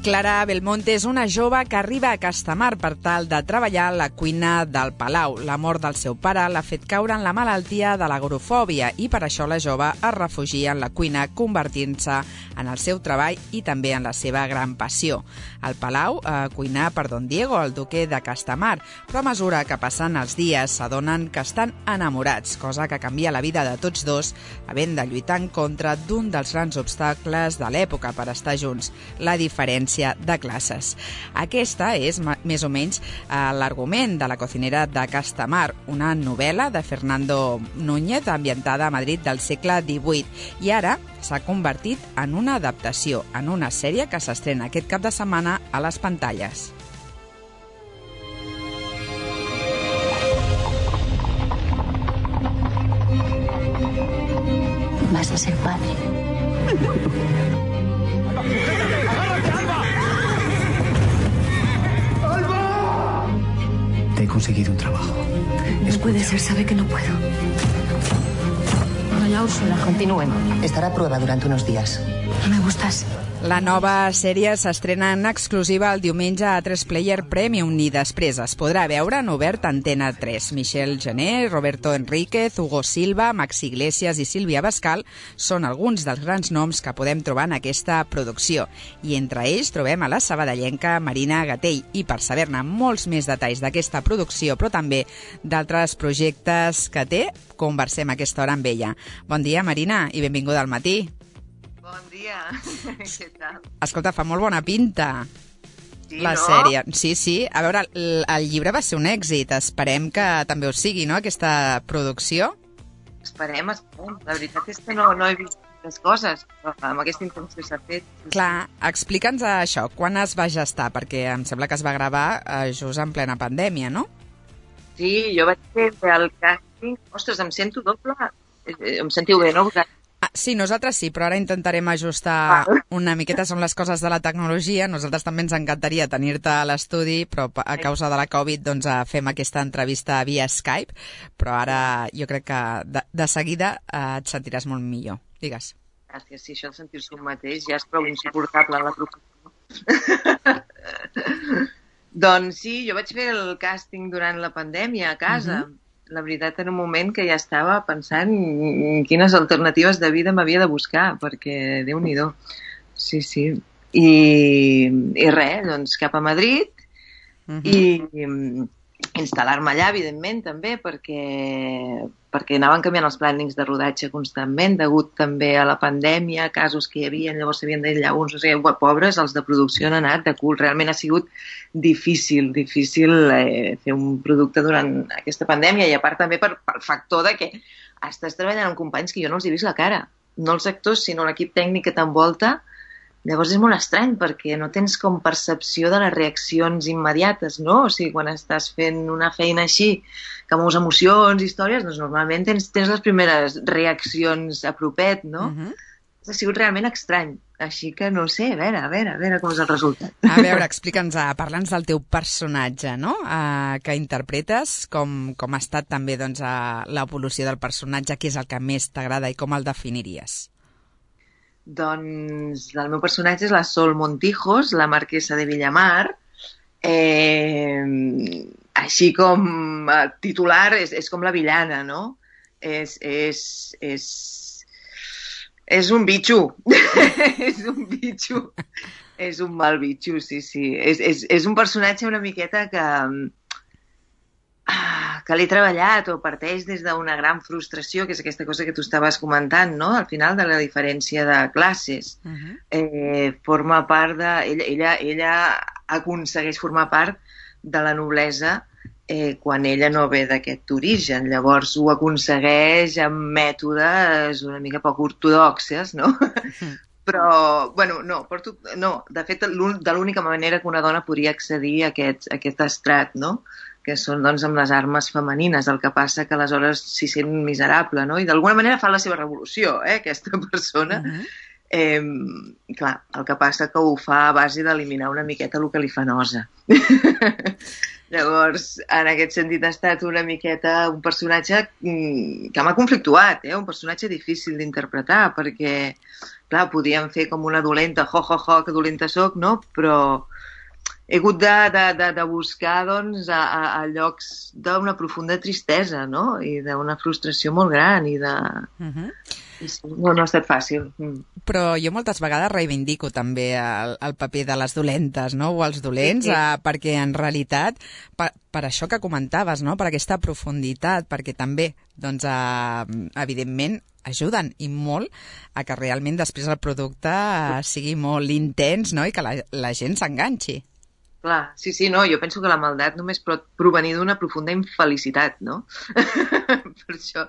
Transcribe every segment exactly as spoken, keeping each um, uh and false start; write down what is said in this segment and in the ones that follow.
Clara Belmonte és una jove que arriba a Castamar per tal de treballar a la cuina del Palau. La mort del seu pare l'ha fet caure en la malaltia de l'agrofòbia i per això la jove es refugia en la cuina, convertint-se en el seu treball i també en la seva gran passió. Al Palau, a cuinar per Don Diego, el duque de Castamar, però a mesura que passen els dies s'adonen que estan enamorats, cosa que canvia la vida de tots dos, havent de lluitar en contra d'un dels grans obstacles de l'època per estar junts, la diferència de classes. Aquesta és, més o menys, l'argument de La cocinera de Castamar, una novel·la de Fernando Núñez ambientada a Madrid del segle divuit i ara s'ha convertit en una adaptació, en una sèrie que s'estrena aquest cap de setmana a les pantalles. Vas a ser padre. Te he conseguido un trabajo. No puede ser, sabe que no puedo. Vaya, Úrsula. Continúen. Estará a prueba durante unos días. No me gustas. La nova sèrie s'estrena en exclusiva el diumenge a tres Player Premium i després es podrà veure en obert a Antena tres. Michel Gené, Roberto Enríquez, Hugo Silva, Max Iglesias i Sílvia Bascal són alguns dels grans noms que podem trobar en aquesta producció. I entre ells trobem a la sabadellenca Marina Gatell. I per saber-ne molts més detalls d'aquesta producció, però també d'altres projectes que té, conversem a aquesta hora amb ella. Bon dia, Marina, i benvinguda al matí. Bon dia, què tal? Escolta, fa molt bona pinta sí, la no? sèrie. Sí, sí. A veure, el, el llibre va ser un èxit. Esperem que també ho sigui, no?, aquesta producció. Esperem, esperem. La veritat és que no, no he vist les coses, però amb aquesta intenció s'ha fet. Clar, explica'ns això. Quan es va gestar? Perquè em sembla que es va gravar eh, just en plena pandèmia, no? Sí, jo vaig fer el càsting. Ostres, em sento doble. Em sentiu bé, no? Ah, sí, nosaltres sí, però ara intentarem ajustar una miqueta, són les coses de la tecnologia. Nosaltres també ens encantaria tenir-te a l'estudi, però a causa de la Covid doncs, fem aquesta entrevista via Skype, però ara jo crec que de, de seguida eh, et sentiràs molt millor. Digues. Gràcies, sí, això de sentir-se un mateix ja és prou insuportable en la professió. Doncs sí, jo vaig fer el càsting durant la pandèmia a casa. Uh-huh. La veritat, en un moment que ja estava pensant quines alternatives de vida m'havia de buscar, perquè Déu-n'hi-do. Sí, sí. I, i res, doncs cap a Madrid uh-huh. i instal·lar-me allà, evidentment, també, perquè, perquè anaven canviant els plànings de rodatge constantment, degut també a la pandèmia, casos que hi havia, llavors s'havien d'aïllar uns, o sigui, pobres, els de producció han anat de cul. Realment ha sigut difícil, difícil eh, fer un producte durant aquesta pandèmia i a part també per, pel factor de que estàs treballant amb companys que jo no els he vist la cara, no els actors sinó l'equip tècnic que t'envolta. Llavors és molt estrany perquè no tens com percepció de les reaccions immediates, no? O sigui, quan estàs fent una feina així, que mous emocions, històries, doncs normalment tens, tens les primeres reaccions a propet, no? Uh-huh. Ha sigut realment estrany. Així que no sé, a veure, a veure, a veure com és el resultat. A veure, explica'ns, parla'ns del teu personatge, no?, uh, que interpretes, com, com ha estat també doncs, uh, l'evolució del personatge, què és el que més t'agrada i com el definiries? Doncs el meu personatge és la Sol Montijos, la marquesa de Villamar. Eh, així com eh, titular és, és com la villana, no? És, és, és, és un bitxo. És un bitxo. És un mal bitxo, sí, sí. És, és, és un personatge una miqueta que... que l'he treballat o parteix des d'una gran frustració, que és aquesta cosa que tu estaves comentant, no? Al final de la diferència de classes. Uh-huh. Eh, forma part de... Ella, ella, ella aconsegueix formar part de la noblesa eh, quan ella no ve d'aquest origen. Llavors ho aconsegueix amb mètodes una mica poc ortodoxes, no? Uh-huh. Però, bueno, no, porto, no, de fet, de l'única manera que una dona podria accedir a aquest, a aquest estrat, no?, que són doncs, amb les armes femenines, el que passa que aleshores s'hi sent miserable, no? I d'alguna manera fa la seva revolució, eh, aquesta persona. Uh-huh. Eh, clar, el que passa que ho fa a base d'eliminar una miqueta el que li fa nosa. Llavors, en aquest sentit ha estat una miqueta un personatge que m'ha conflictuat, eh? Un personatge difícil d'interpretar, perquè clar, podíem fer com una dolenta, jo, jo, jo, que dolenta soc, no? Però he hagut de, de, de, de buscar, doncs, a, a, a llocs d'una profunda tristesa, no? I d'una frustració molt gran i de... Uh-huh. I sí, no, no ha estat fàcil. Mm. Però jo moltes vegades reivindico també el, el paper de les dolentes, no? O els dolents, sí, sí. Eh, perquè en realitat, per, per això que comentaves, no? Per aquesta profunditat, perquè també, doncs, eh, evidentment, ajuden i molt a que realment després el producte eh, sigui molt intens, no? I que la, la gent s'enganxi. Clar, sí, sí, no, jo penso que la maldat només pot provenir d'una profunda infelicitat, no? Per això...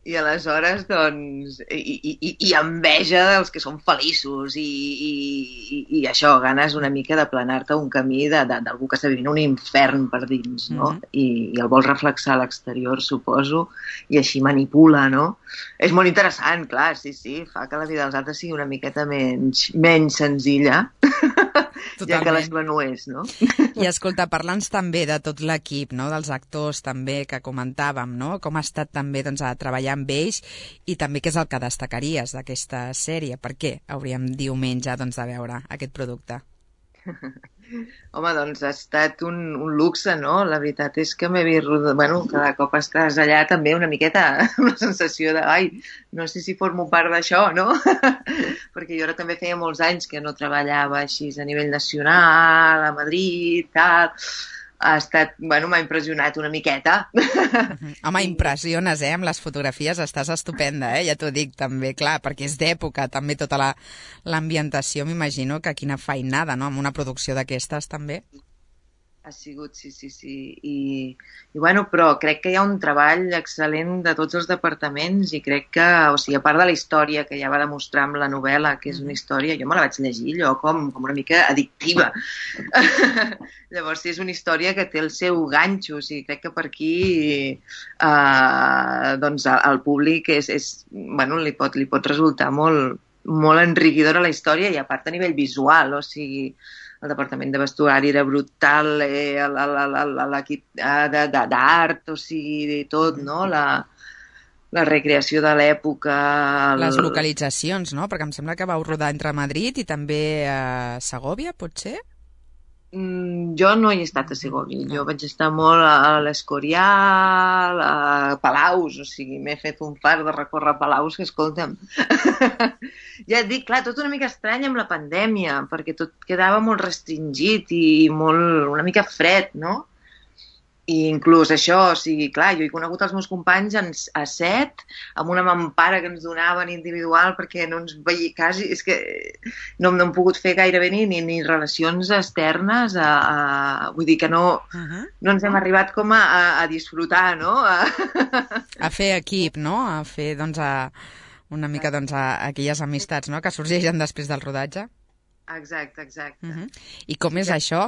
I aleshores, doncs, i, i, i enveja dels que són feliços i, i, i això, ganes una mica d'aplanar-te un camí d'algú que està vivint un infern per dins, no? Mm-hmm. I, i el vol reflexar a l'exterior, suposo, i així manipula, no? És molt interessant, clar, sí, sí, fa que la vida dels altres sigui una miqueta menys, menys senzilla, totalment. Ja que la seva no és, no? I escolta, parla'ns també de tot l'equip, no? Dels actors també que comentàvem, no? Com ha estat també, doncs, a treballar amb ells i també què és el que destacaries d'aquesta sèrie? Per què hauríem diumenge, doncs, de veure aquest producte? Home, doncs ha estat un, un luxe, no? La veritat és que m'he vist... Bueno, cada cop estàs allà també una miqueta amb la sensació de ai, no sé si formo part d'això, no? Perquè jo ara també feia molts anys que no treballava així a nivell nacional, a Madrid, tal... Ha estat, bueno, m'ha impressionat una miqueta. Home, impressiones, eh? Amb les fotografies estàs estupenda, eh? Ja t'ho dic també, clar, perquè és d'època, també tota la, l'ambientació, m'imagino que quina feinada, no? Amb una producció d'aquestes, també. Ha sigut, sí, sí, sí. I, i bueno, però crec que hi ha un treball excel·lent de tots els departaments i crec que, o sigui, a part de la història que ja va demostrar amb la novel·la, que és una història, jo me la vaig llegir allò com, com una mica addictiva. Llavors, sí, és una història que té el seu ganxo, o sigui, crec que per aquí eh, doncs al públic és, és, bueno, li pot, li pot resultar molt, molt enriquidora la història i a part a nivell visual, o sigui, el departament de vestuari era brutal, eh, l'equip d'art, o sigui, tot, no? La, la recreació de l'època... El... Les localitzacions, no? Perquè em sembla que vau rodar entre Madrid i també a Segòvia, potser? Mm, jo no hi he estat a Segòvia, jo vaig estar molt a l'Escorial, a Palaus, o sigui, m'he fet un far de recórrer Palaus que, escolta'm... Ja et dic, clar, tot una mica estrany amb la pandèmia, perquè tot quedava molt restringit i molt, una mica fred, no? I inclús això, o sigui, clar, jo he conegut els meus companys en, a set, amb una mampara que ens donaven individual perquè no ens veia quasi... És que no, no hem pogut fer gairebé ni, ni, ni relacions externes, a, a, vull dir que no, uh-huh. no ens hem arribat com a, a, a disfrutar, no? A... a fer equip, no? A fer, doncs, a... una mica, doncs, a aquelles amistats, no?, que sorgeixen després del rodatge. Exacte, exacte. Uh-huh. I com és això?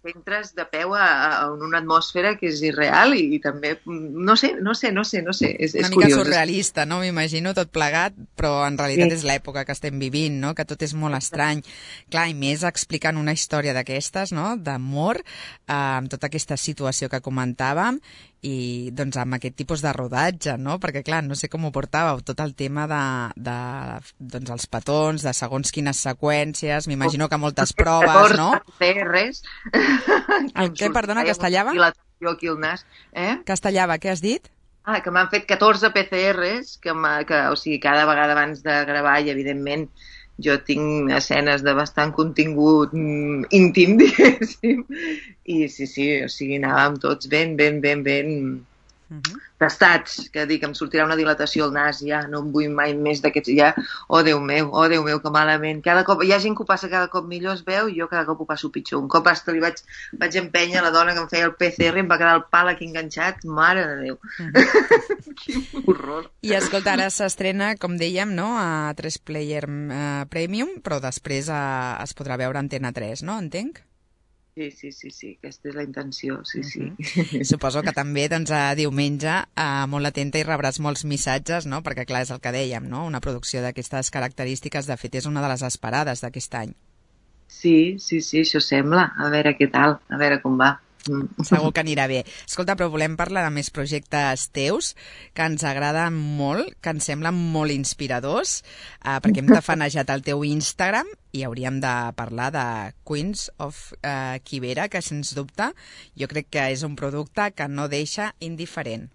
Entres de peu a, a una atmosfera que és irreal i, i també, no sé, no sé, no sé, no sé, és, és una mica curiós. surrealista, no?, m'imagino, tot plegat, però en realitat sí. És l'època que estem vivint, no?, que tot és molt estrany. Clar, i més explicant una història d'aquestes, no?, d'amor, eh, amb tota aquesta situació que comentàvem, i doncs amb aquest tipus de rodatge, no? Perquè clar, no sé com ho portàveu, tot el tema de, de doncs els petons, de segons quines seqüències, m'imagino que moltes proves, no? P C Rs. El què, perdona, castellava? Aquí al nas, eh? Castellava, què has dit? Ah, que m'han fet catorze P C Rs, que, que, o sigui, cada vegada abans de gravar, i evidentment jo tinc escenes de bastant contingut mm, íntim, diguéssim, i sí, sí, o sigui, anàvem tots ben, ben, ben, ben uh-huh. tastats, que dic, em sortirà una dilatació al nas, ja, no em vull mai més d'aquests, ja, oh Déu meu, oh Déu meu, que malament, cada cop, hi ha gent que ho passa cada cop millor, es veu, i jo cada cop ho passo pitjor, un cop hasta li vaig, vaig empènyer la dona que em feia el P C R i em va quedar el pal aquí enganxat, mare de Déu. Uh-huh. Quin horror. I escolta, ara s'estrena, com dèiem, no?, a tres player uh, Premium, però després uh, es podrà veure Antena tres, no?, entenc? Sí, sí, sí, sí, aquesta és la intenció, sí, uh-huh. sí. Suposo que també, doncs, a diumenge, eh, molt atenta i rebràs molts missatges, no?, perquè, clar, és el que dèiem, no?, una producció d'aquestes característiques, de fet, és una de les esperades d'aquest any. Sí, sí, sí, això sembla, a veure què tal, a veure com va. Segur que anirà bé. Escolta, però volem parlar de més projectes teus que ens agraden molt, que ens semblen molt inspiradors, eh, perquè hem tafanejat el teu Instagram i hauríem de parlar de Queens of eh, Kibera, que sens dubte jo crec que és un producte que no deixa indiferent.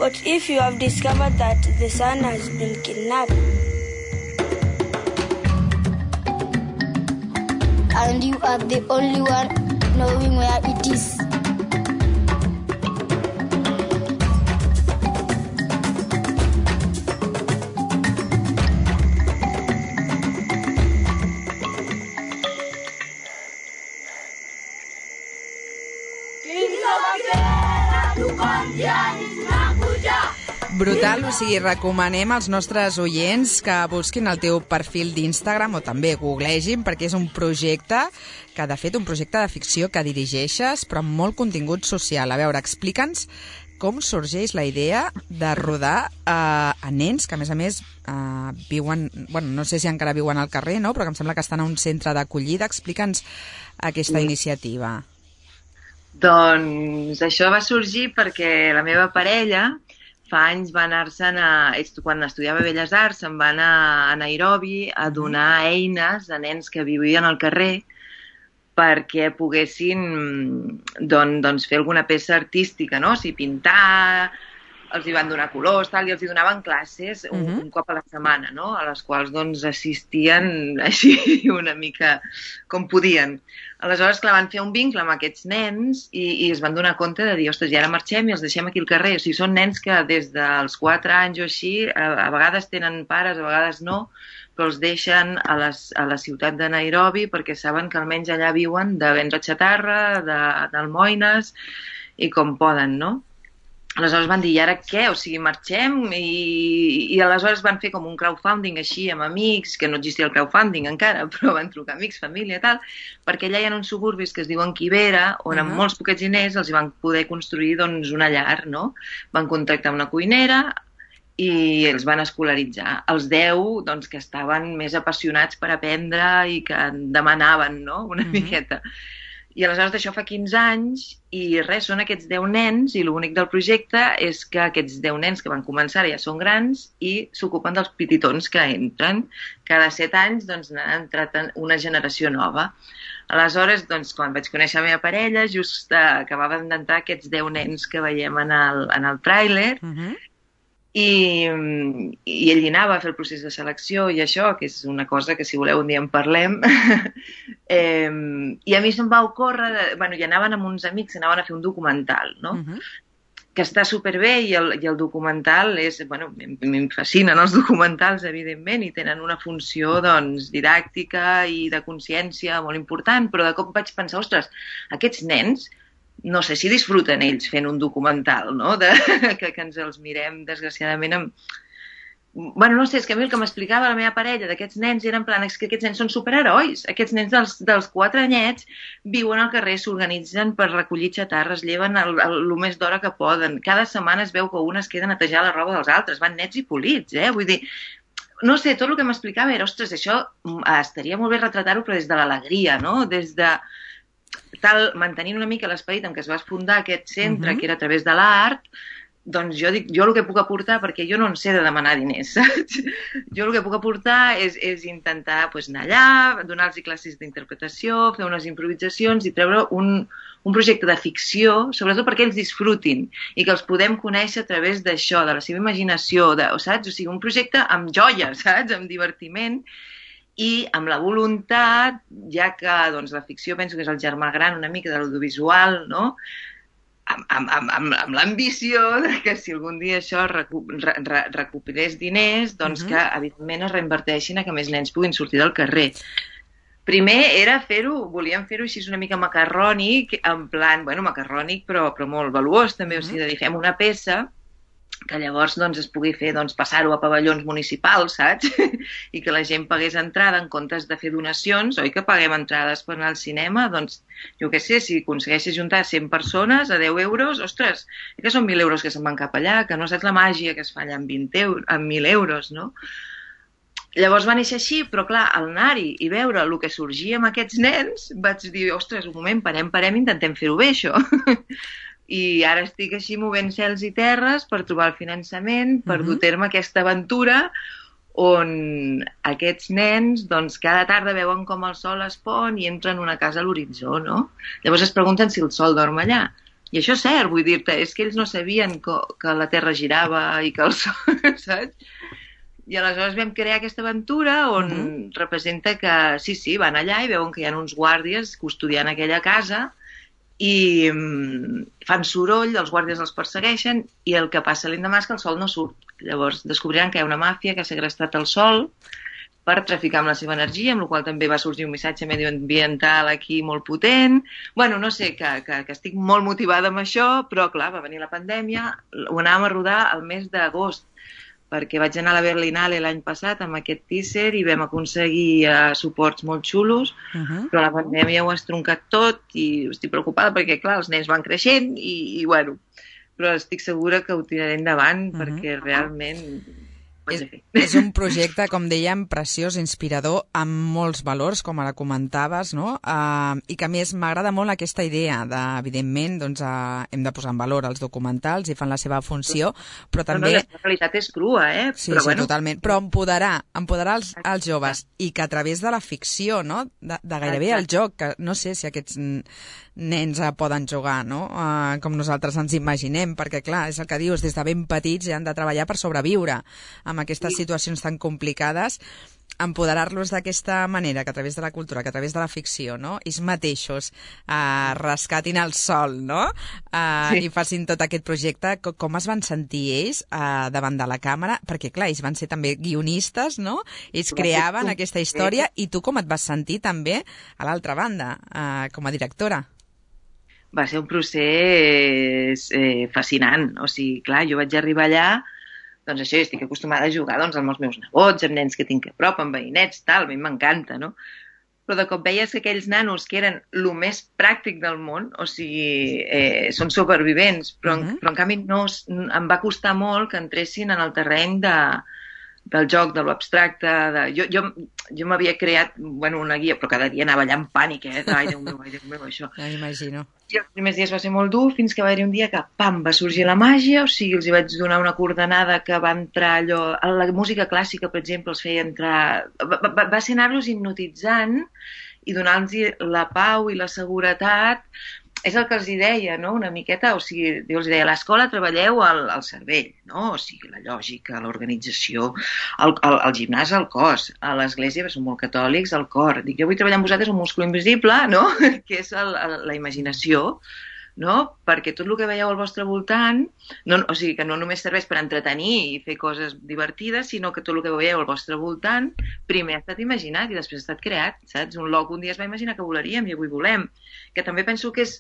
But if you have discovered that the son has been kidnapped, and you are the only one knowing where it is, brutal, o sigui, recomanem als nostres oients que busquin el teu perfil d'Instagram o també googlegin, perquè és un projecte que, de fet, un projecte de ficció que dirigeixes, però amb molt contingut social. A veure, explica'ns com sorgeix la idea de rodar eh, a nens que, a més a més, eh, viuen, bueno, no sé si encara viuen al carrer, no? Però que em sembla que estan a un centre d'acollida. Explica'ns aquesta sí. iniciativa. Doncs això va sorgir perquè la meva parella fa anys va anar-se'n a... Quan estudiava Belles Arts, se'n va anar a Nairobi a donar eines a nens que vivien al carrer perquè poguessin doncs, doncs fer alguna peça artística, no? O sigui, pintar, els hi van donar colors, tal, i els hi donaven classes un, uh-huh. un cop a la setmana, no? A les quals doncs, assistien així una mica com podien. Aleshores, clar, van fer un vincle amb aquests nens i, i es van donar compte de dir, ostres, i ara marxem i els deixem aquí al carrer. O sigui, són nens que des dels quatre anys o així, a, a vegades tenen pares, a vegades no, però els deixen a, les, a la ciutat de Nairobi perquè saben que almenys allà viuen de vendre xatarra, de, d'almoines i com poden, no? Aleshores van dir, i ara què? O sigui, marxem? I, i aleshores van fer com un crowdfunding així amb amics, que no existia el crowdfunding encara, però van trucar amics, família i tal, perquè allà hi ha uns suburbis que es diuen Kibera, on uh-huh. amb molts poquets diners els hi van poder construir doncs, una llar, no? Van contractar una cuinera i els van escolaritzar. Els deu, doncs, que estaven més apassionats per aprendre i que demanaven, no?, una uh-huh. miqueta. I aleshores d'això fa quinze anys i res, són aquests deu nens i l'únic del projecte és que aquests deu nens que van començar ja són grans i s'ocupen dels petitons que entren. Cada set anys doncs, n'ha entrat una generació nova. Aleshores, doncs, quan vaig conèixer la meva parella, just uh, acabaven d'entrar aquests deu nens que veiem en el, en el tràiler, uh-huh. I, i ell hi anava a fer el procés de selecció i això, que és una cosa que si voleu un dia en parlem. eh, I a mi se'm va ocórrer, de, bueno, hi anaven amb uns amics, anaven a fer un documental, no? Uh-huh. Que està superbé i el, i el documental és, bueno, em fascinen els documentals, evidentment, i tenen una funció, doncs, didàctica i de consciència molt important, però de cop vaig pensar, ostres, aquests nens, no sé si disfruten ells fent un documental, no?, de, que, que ens els mirem, desgraciadament, amb... Bueno, no sé, és que a mi el que m'explicava la meva parella d'aquests nens era en plan, és que aquests nens són superherois. Aquests nens dels, dels quatre anyets viuen al carrer, s'organitzen per recollir xatarres, lleven el, el, el més d'hora que poden. Cada setmana es veu que un es queda a netejar la roba dels altres. Van nets i polits, eh? Vull dir, no sé, tot el que m'explicava era, ostres, això estaria molt bé retratar-ho, però des de l'alegria, no?, des de... tal, mantenint una mica l'esperit en què es va fundar aquest centre, uh-huh. que era a través de l'art, doncs jo dic, jo el que puc aportar, perquè jo no en sé de demanar diners, saps? Jo el que puc aportar és, és intentar pues, anar allà, donar-los classes d'interpretació, fer unes improvisacions i treure un, un projecte de ficció, sobretot perquè ells disfrutin i que els podem conèixer a través d'això, de la seva imaginació, de, saps? O sigui, un projecte amb joia, saps? Amb divertiment, i amb la voluntat, ja que doncs, la ficció penso que és el germà gran una mica de l'audiovisual, no?, amb, amb, amb, amb, amb l'ambició que si algun dia això recu re re recuperés diners, doncs uh-huh. que evidentment es reinverteixin a que més nens puguin sortir del carrer. Primer era fer-ho, volíem fer-ho així una mica macarrònic, en plan, bueno, macarrònic però, però molt valuós també, uh-huh. o sigui, de dir, fem una peça que llavors doncs, es pugui fer doncs, passar-ho a pavellons municipals, saps? I que la gent pagués entrada en comptes de fer donacions, oi que paguem entrades per anar al cinema? Doncs jo què sé, si aconsegueixes juntar cent persones a deu euros, ostres, que són mil euros que se'n van cap allà, que no saps la màgia que es fa allà amb, vint euros, amb mil euros, no? Llavors va néixer així, però clar, al anar-hi i veure el que sorgia amb aquests nens, vaig dir, ostres, un moment, parem, parem, intentem fer-ho bé, això. I ara estic així movent cels i terres per trobar el finançament, per uh-huh. dur a terme aquesta aventura on aquests nens doncs, cada tarda veuen com el sol es pon i entren en una casa a l'horitzó, no? Llavors es pregunten si el sol dorm allà. I això és cert, vull dir-te, és que ells no sabien que, que la Terra girava i que el sol, saps? I aleshores vam crear aquesta aventura on uh-huh. representa que, sí, sí, van allà i veuen que hi ha uns guàrdies custodiant aquella casa i um, fan soroll, els guàrdies els persegueixen i el que passa l'endemà és que el sol no surt. Llavors descobriran que hi ha una màfia que ha segrestat el sol per traficar amb la seva energia, amb la qual també va sorgir un missatge medioambiental aquí molt potent. Bueno, no sé, que, que, que estic molt motivada amb això, però clar, va venir la pandèmia, ho anàvem a rodar al mes d'agost, perquè vaig anar a la Berlinale l'any passat amb aquest teaser i vam aconseguir uh, suports molt xulos, uh-huh. però la pandèmia ho ha estroncat tot i estic preocupada perquè, clar, els nens van creixent i, i bueno, però estic segura que ho tiraré endavant uh-huh. perquè realment... És, és un projecte, com dèiem, preciós, inspirador, amb molts valors, com ara comentaves, no? Uh, i que a més m'agrada molt aquesta idea de, evidentment, doncs, uh, hem de posar en valor els documentals i fan la seva funció, però també... No, no, la realitat és crua, eh? Sí, però, sí, bueno... totalment. Però empoderar, empoderar els, els joves i que a través de la ficció, no? De, de gairebé el joc, que no sé si aquests nens uh, poden jugar, no? Uh, com nosaltres ens imaginem, perquè, clar, és el que dius, des de ben petits ja han de treballar per sobreviure amb aquestes situacions tan complicades, empoderar-los d'aquesta manera, que a través de la cultura, que a través de la ficció, no? Ells mateixos eh, rescatin el sol, no? Eh, sí. I facin tot aquest projecte. Com es van sentir ells eh, davant de la càmera? Perquè, clar, ells van ser també guionistes, no? Ells creaven aquesta història i tu com et vas sentir també a l'altra banda, eh, com a directora? Va ser un procés eh, fascinant. O sigui, clar, jo vaig arribar allà, doncs això, jo estic acostumada a jugar doncs, amb els meus nebots, amb nens que tinc a prop, amb veïnets, tal, a mi m'encanta, no? Però de cop veies que aquells nanos que eren el més pràctic del món, o sigui, eh, són supervivents, però, uh-huh. però en canvi no, em va costar molt que entressin en el terreny de, del joc, de l'abstracte. De... Jo, jo, jo m'havia creat bueno, una guia, però cada dia anava allà en pànic, eh? Ai, Déu meu, ai, Déu meu, això. Ja m'imagino. I els primers dies va ser molt dur, fins que va haver un dia que, pam, va sorgir la màgia, o sigui, els hi vaig donar una coordenada que va entrar allò... La música clàssica, per exemple, els feia entrar... Va, va, va ser anar-los hipnotitzant i donar-los la pau i la seguretat. És el que els hi deia, no?, una miqueta, o sigui, jo els deia, a l'escola treballeu el, el cervell, no?, o sigui, la lògica, l'organització, el, el, el gimnàs, el cos, a l'església, que són molt catòlics, el cor. Dic, jo vull treballar amb vosaltres un múscul invisible, no?, que és el, el, la imaginació, no?, perquè tot el que veieu al vostre voltant, no, o sigui, que no només serveix per entretenir i fer coses divertides, sinó que tot el que veieu al vostre voltant primer ha estat imaginat i després ha estat creat, saps? Un loc un dia es va imaginar que volaríem i avui volem, que també penso que és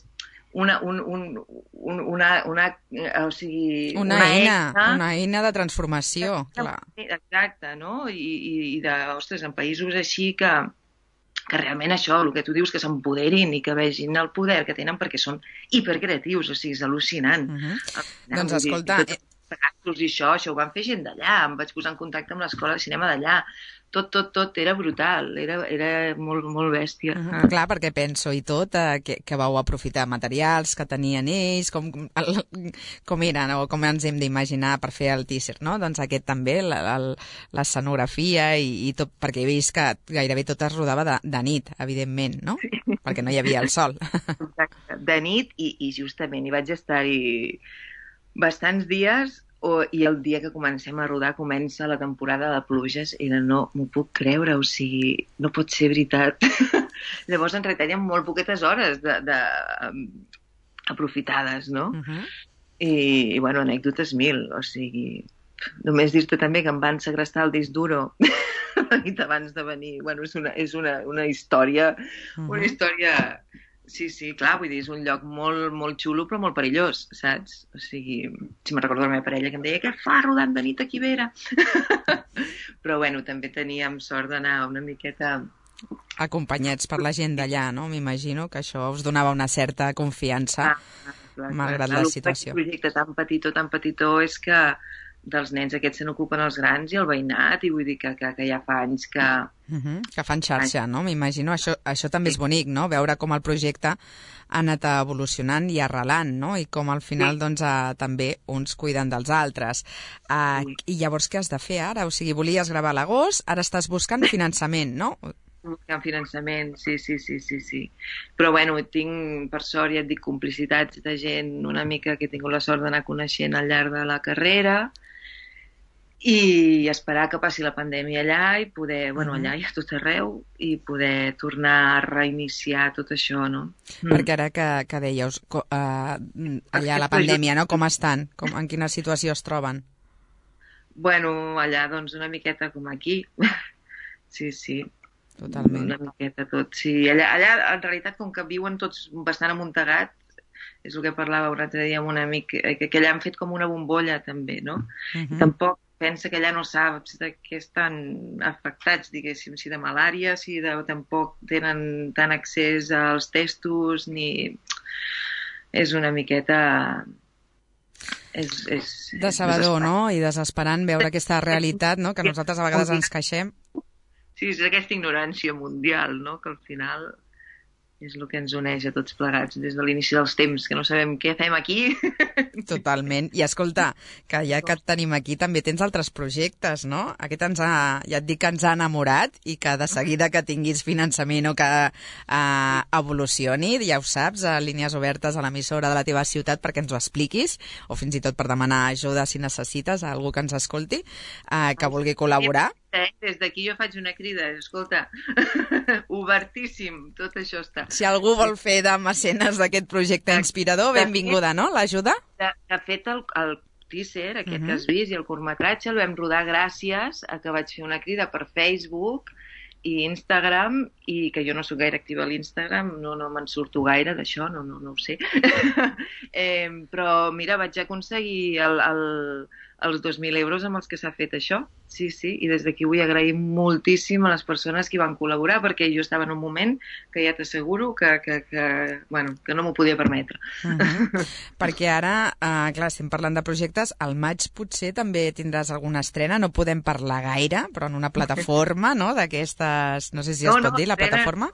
una, un, un, un, una, una, o sigui, una, una eina, eina, una eina de transformació, clar. Exacte, no? I, i, i de, ostres, en països així que que realment això, el que tu dius, que s'empoderin i que vegin el poder que tenen perquè són hipercreatius, o sigui, és al·lucinant. Uh-huh. Doncs escolta... Dir, tot, i això, això ho van fer gent d'allà, em vaig posar en contacte amb l'escola de cinema d'allà, tot, tot, tot era brutal, era, era molt, molt bèstia. Uh-huh. Clar, perquè penso i tot, eh, que, que vau aprofitar materials que tenien ells, com, el, com eren o com ens hem d'imaginar per fer el teaser, no? Doncs aquest també, l'escenografia i, i tot, perquè he vist que gairebé tot es rodava de, de nit, evidentment, no? Sí. Perquè no hi havia el sol. Exacte, de nit i, i justament hi vaig estar-hi bastants dies. O, i el dia que comencem a rodar comença la temporada de pluges i no m'ho puc creure, o sigui, no pot ser veritat. Llavors ens retallen molt poquetes hores de, de, um, aprofitades, no? Uh-huh. I, i, bueno, anècdotes mil, o sigui, només dir-te també que em van segrestar el disc duro la nit abans de venir. Bueno, és una, és una, una història, uh-huh. una història... Sí, sí, clar, vull dir, és un lloc molt, molt xulo però molt perillós, saps? O sigui, si me'n recordo la meva parella que em deia què fa rodant de nit aquí Vera? Però, bueno, també teníem sort d'anar una miqueta... Acompanyats per la gent d'allà, no? M'imagino que això us donava una certa confiança, ah, clar, malgrat clar, la situació. El projecte tan petitó, tan petitó, és que dels nens aquests se n'ocupen els grans i el veïnat, i vull dir que, que, que ja fa anys que... Uh-huh, que fan xarxa, no? M'imagino. Això, això també és bonic, no? Veure com el projecte ha anat evolucionant i arrelant, no? I com al final, sí. doncs, eh, també uns cuiden dels altres. Uh, sí. I llavors què has de fer ara? O sigui, volies gravar a l'agost, ara estàs buscant finançament, no? Buscant finançament, sí, sí, sí, sí, sí. Però, bueno, tinc, per sort, ja et dic, complicitats de gent una mica que he tingut la sort d'anar coneixent al llarg de la carrera, i esperar que passi la pandèmia allà i poder, bueno, allà i a tot arreu, i poder tornar a reiniciar tot això, no? Perquè ara que, que dèieu, uh, allà la pandèmia, no? Com estan? Com, en quina situació es troben? Bueno, allà, doncs, una miqueta com aquí. Sí, sí. Totalment. Una miqueta tot, sí. Allà, allà, en realitat, com que viuen tots bastant amuntegats, és el que parlava un altre dia amb un amic, que, que allà han fet com una bombolla, també, no? Uh-huh. Tampoc pensa que allà no saps de què estan afectats, diguéssim, si de malària, si de, tampoc tenen tant accés als testos, ni... És una miqueta... És, és, decebedor, no? I desesperant veure aquesta realitat, no? Que nosaltres a vegades ens queixem. Sí, és aquesta ignorància mundial, no? Que al final és el que ens uneix a tots plegats des de l'inici dels temps, que no sabem què fem aquí. Totalment. I escolta, que ja que et tenim aquí també tens altres projectes, no? Aquest ens ha, ja et dic que ens ha enamorat i que de seguida que tinguis finançament o que uh, evolucioni, ja ho saps, a línies obertes a l'emissora de la teva ciutat perquè ens ho expliquis, o fins i tot per demanar ajuda si necessites a algú que ens escolti, uh, que vulgui col·laborar. Des d'aquí jo faig una crida, escolta, obertíssim, tot això està. Si algú vol fer de mecenes d'aquest projecte inspirador, benvinguda, no? L'ajuda? De, de fet, el, el teaser, aquest uh-huh. que has vist, i el curtmetratge el vam rodar gràcies a que vaig fer una crida per Facebook i Instagram, i que jo no soc gaire activa a l'Instagram, no, no me'n surto gaire d'això, no, no, no ho sé. eh, però, mira, vaig aconseguir el, el, els dos mil euros amb els que s'ha fet això. Sí, sí, i des d'aquí vull agrair moltíssim a les persones que hi van col·laborar, perquè jo estava en un moment que ja t'asseguro que, que, que, bueno, que no m'ho podia permetre. Uh-huh. Perquè ara, uh, clar, estem parlant de projectes, al maig potser també tindràs alguna estrena, no podem parlar gaire, però en una plataforma, no?, d'aquestes, no sé si es no, pot no, dir, la estrena, plataforma?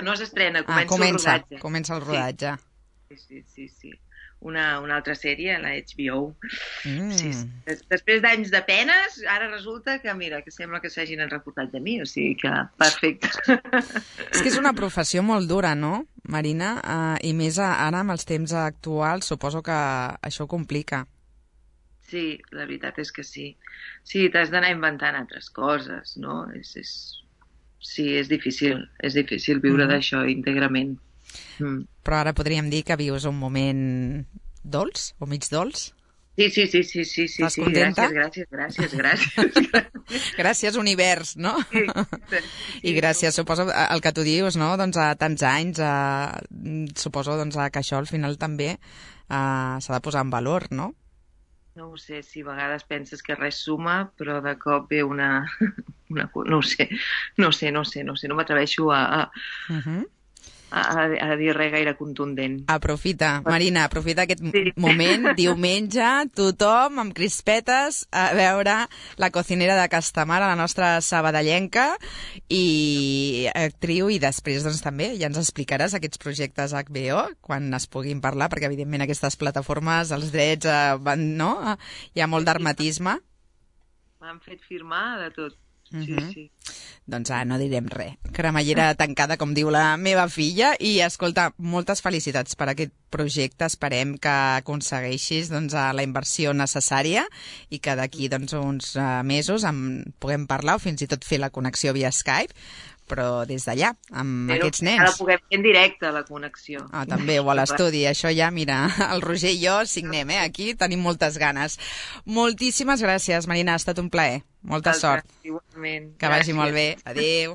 No s'estrena, comença, ah, comença el rodatge. Comença el rodatge. Sí, sí, sí, sí. Una, una altra sèrie, la H B O. Mm. Sí, sí. Des, després d'anys de penes, ara resulta que, mira, que sembla que s'hagin reportat de mi, o sigui que perfecte. És que és una professió molt dura, no, Marina? Uh, I més ara, amb els temps actuals, suposo que això ho complica. Sí, la veritat és que sí. Sí, t'has d'anar inventant altres coses, no? És, és... Sí, és difícil. És difícil viure mm. d'això íntegrament. Mm. Però ara podríem dir que vius un moment dolç o mig dolç? Sí, sí, sí, sí, sí, sí. Estàs contenta? Gràcies, gràcies, gràcies, gràcies. Gràcies, univers, no? Sí, sí, I gràcies, suposo, el que tu dius, no?, doncs a tants anys, a... suposo doncs, que això al final també uh, s'ha de posar en valor, no? No ho sé, si a vegades penses que res suma, però de cop ve una... una... No ho sé, no sé, no sé, no sé, no m'atreveixo a... a... Uh-huh. A, a dir res gaire contundent. Aprofita, Marina, aprofita aquest sí. moment, diumenge, tothom amb crispetes a veure La cocinera de Castamar, a la nostra sabadellenca, i actriu, i després doncs també ja ens explicaràs aquests projectes H B O quan es puguin parlar, perquè evidentment aquestes plataformes, els drets, eh, van, no? Hi ha molt d'hermetisme. M'han fet firmar de tot. Sí, uh-huh. sí. Doncs ah, no direm res. Cremallera tancada, com diu la meva filla. I escolta, moltes felicitats per aquest projecte. Esperem que aconsegueixis doncs, la inversió necessària i que d'aquí doncs, uns uh, mesos en puguem parlar o fins i tot fer la connexió via Skype, però des d'allà, amb però aquests nens. Ara puguem fer en directe, la connexió. Ah, també, o a l'estudi. Això ja, mira, el Roger i jo signem, eh? Aquí tenim moltes ganes. Moltíssimes gràcies, Marina, ha estat un plaer. Molta sort. Igualment. Que vagi molt bé. Adéu.